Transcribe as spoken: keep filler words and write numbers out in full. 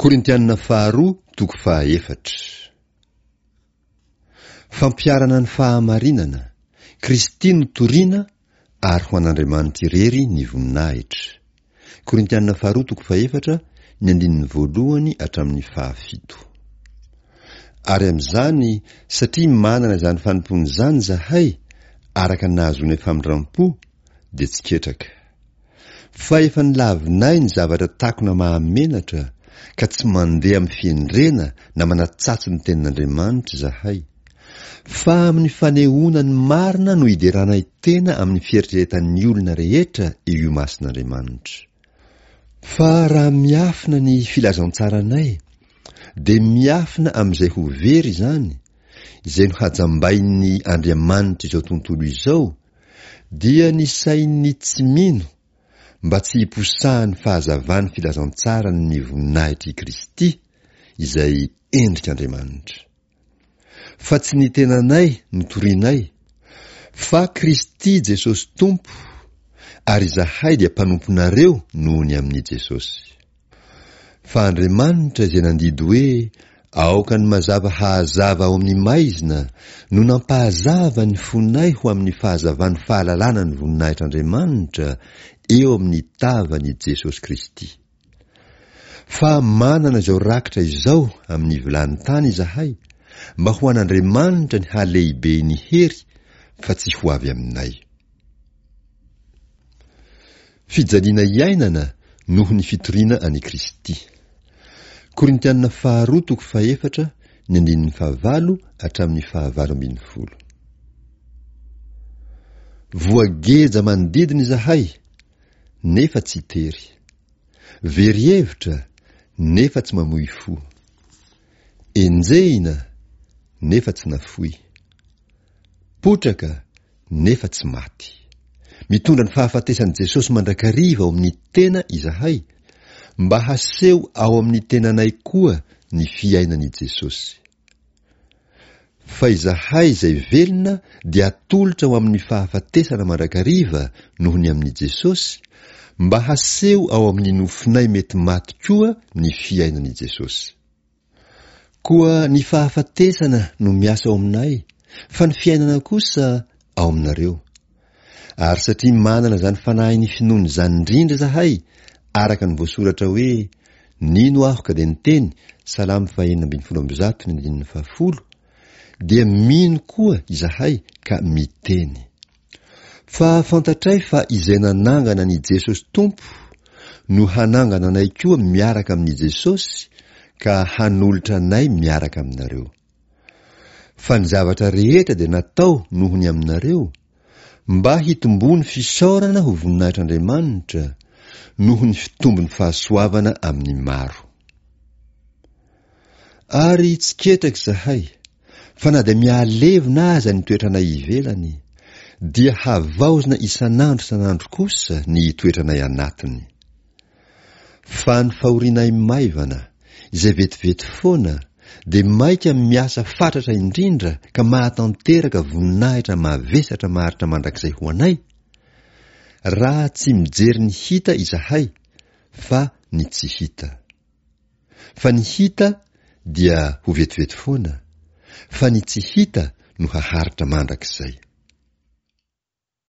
Korintianina faharoa toko fahaefatra. Fampiharana ny fahamarinana, Kristy no torina ary ho an'Andriamanitra irery ny voninahitra. Korintianina faharoa toko fahefatra, ny andininy voalohany hatramin'ny fahafito. Ary amin'izany, satria manana izany fanompoana izany izahay, araka ny nahazoanay famindram-po, dia tsy ketraka. Fa efa nolavinay ny zavatra takona mahamenatra, ka tsy mandeha amin'ny fihendrena na manatsatso ny tenin'Andriamanitra izahay. Fa amin'ny fanehoana ny marina no ideranay tena amin'ny fieritreretan'ny olona rehetra eo imason'Andriamanitra. Fa raha miafina ny filazantsaranay, dia miafina amin'izay ho very izany, izay nohajambain'ny andriamanitr'izao tontolo izao, dia ny sain'ny tsy mino, mba tsy hiposahan'ny fahazavan'ny filazantsaran'ny voninahitr'i Kristy, izay endrik'Andriamanitra. Fa tsy ny tenanay no torinay, fa Kristy Jesosy Tompo, ary izahay dia mpanomponareo noho ny amin'i Jesosy. Fa Andriamanitra izay nandidy hoe aoka ny mazava hahazava ao amin'ny maizina no nampahazava ny fonay ho amin'ny fahazavan'ny fahalalana ny voninahitr'Andriamanitra eo amin'ny tavan'i Jesosy Kristy. Fa manana izao rakitra izao amin'ny vilany tany izahay, mba ho an'Andriamanitra ny halehiben'ny hery fa tsy ho avy aminay. Fijaliana iainana noho ny fitoriana an'i Kristy. Korintianina faharoa toko fahefatra, ny andininy fahavalo hatramin'ny fahavalo ambin'ny folo. Voageja manodidina izahay, nefa tsy tery. Very hevitra, nefa tsy mamoy fo. Enjehina, nefa tsy nafoy. Potraka, nefa tsy maty. Mitondra ny fahafatesan'i Jesosy mandrakariva ao amin'ny tena izahay, mba haseho ao amin'ny tenanay koa ny fiainan'i Jesosy. Fa izahay izay velona dia atolotra ho amin'ny fahafatesana mandrakariva noho ny amin'i Jesosy, mba haseho ao amin'ny nofonay mety maty koa ny fiainan'i Jesosy. Koa ny fahafatesana no miasa ao aminay, fa ny fiainana kosa ao aminareo. Ary satria manana izany fanahin'ny finoana izany indrindra izahay, araka ny voasoratra hoe, Nino aho ka dia niteny, Salamo fahenina ambin'ny folo amby zato ny andininy fahafolo, dia mino koa izahay ka miteny. Fa fantatray fa izay nanangana an'i Jesosy Tompo no hanangana anay koa miaraka amin'i Jesosy ka hanolotra anay miaraka aminareo. Fa ny zavatra rehetra dia natao noho ny aminareo, mba hitomboan'ny fisaorana ho voninahitr'Andriamanitra, noho ny fitombon'ny fahasoavana amin'ny maro. Ary tsy ketraka izahay, fa na dia mihalevona aza ny toetranay ivelany, dia havaozina isan'andro isan'andro kosa ny toetranay anatiny. Fa ny fahorianay maivana, izay vetivety foana, dia maika miasa fatratra indrindra ka mahatanteraka voninahitra mavesatra maharitra mandrakizay ho anay, raha tsy mijery ny hita izahay, fa ny tsy hita. Fa ny hita dia ho vetivety foana, fa ny tsy hita no haharitra mandrakizay.